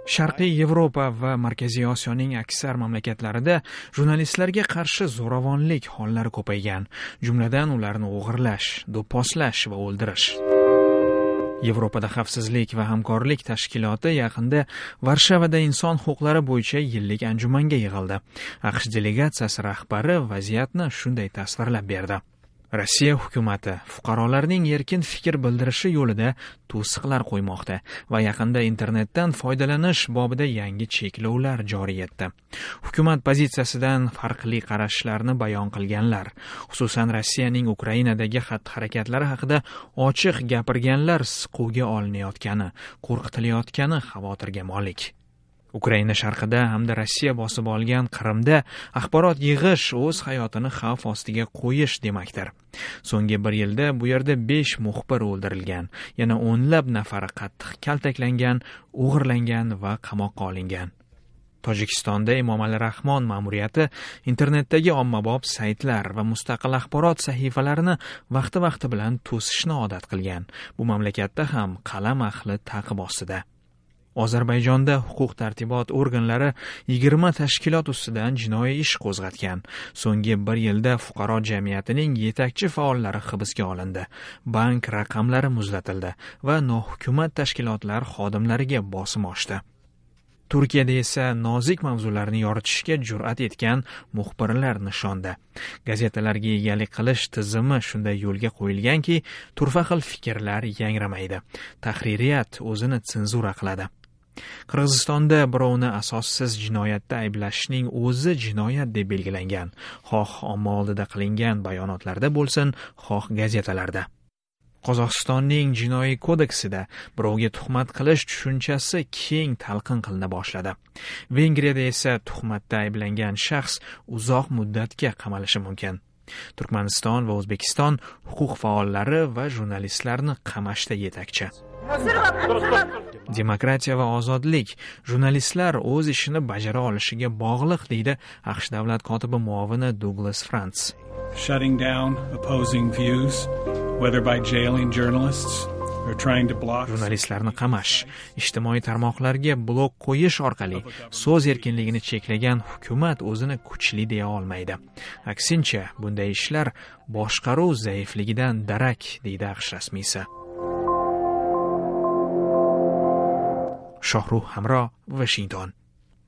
Sharqiy Yevropa va Markaziy Osiyoning aksar mamlakatlarida jurnalistlarga qarshi zo'ravonlik hollari ko'paygan, jumladan ularni o'g'irlash, do'pposlash va o'ldirish. Yevropada xavfsizlik va hamkorlik tashkiloti yaqinda Varshavada inson huquqlari bo'yicha yillik anjumanga yig'ildi. AQSh delegatsiyasi rahbari vaziyatni shunday tasvirlab berdi. Rossiya hukumati fuqarolarning erkin fikr bildirishi yo'lida to'siqlar qo'ymoqda va yaqinda internetdan foydalanish bobida yangi cheklovlar joriy etdi. Hukumat pozitsiyasidan farqli qarashlarni bayon qilganlar, xususan Rossiyaning Ukrainadagi xatti-harakatlari haqida ochiq gapirganlar siquvga olinayotgani, qo'rqitilayotgani xavotirga molik. Ukraina sharqida hamda Rossiya bosib olgan Qrimda axborot yig'ish o'z hayotini xavf ostiga qo'yish demakdir. So'nggi bir yilda bu yerda 5 muxbir o'ldirilgan, yana o'nlab nafari qattiq kaltaklangan, o'g'irlangan va qamoqqa olingan. Tojikistonda Emomali Rahmon ma'muriyati internetdagi ommabop saytlar va mustaqil axborot sahifalarini vaqti-vaqti bilan to'sishni odat qilgan. Bu mamlakatda ham qalam ahli ta'qib ostida. Ozarbayjonda huquq-tartibot organlari 20 tashkilot ustidan jinoiy ish qo'zg'atgan. So'nggi bir yilda fuqaro jamiyatining yetakchi faollari hibsga olindi. Bank raqamlari muzlatildi va nohukumat tashkilotlar xodimlariga bosim oshdi. Turkiyada esa nozik mavzularni yoritishga jur'at etgan muxbirlar nishonda. Gazetalarga egalik qilish tizimi shunday yo'lga qo'yilganki, turfa xil fikrlar yangramaydi. Tahririyat o'zini senzura qiladi. Qirg'izistonda birovni asossiz jinoyatda ayblashning o'zi jinoyat deb belgilangan. Xoh omma oldida qilingan bayonotlarda bo'lsin, xoh gazetalarda. Qozog'istonning jinoiy kodeksida birovga tuhmat qilish tushunchasi keng talqin qilina boshladi. Vengriyada esa tuhmatda ayblangan shaxs uzoq muddatga qamalishi mumkin. Turkmaniston va O'zbekiston huquq faollari va jurnalistlarni qamashda yetakchi. Demokratiya va ozodlik jurnalistlar o'z ishini bajara olishiga bog'liq, deydi AQSh davlat kotibi muovini Douglas Frantz. Shutting down opposing views, whether by jailing journalists or trying to block Jurnalistlarni qamash, ijtimoiy tarmoqlarga blok qo'yish orqali so'z erkinligini cheklagan hukumat o'zini kuchli deya olmaydi. Aksincha, bunday ishlar boshqaruv zaifligidan darak, deydi AQSh rasmiysi. Shohrux Hamro, Washington.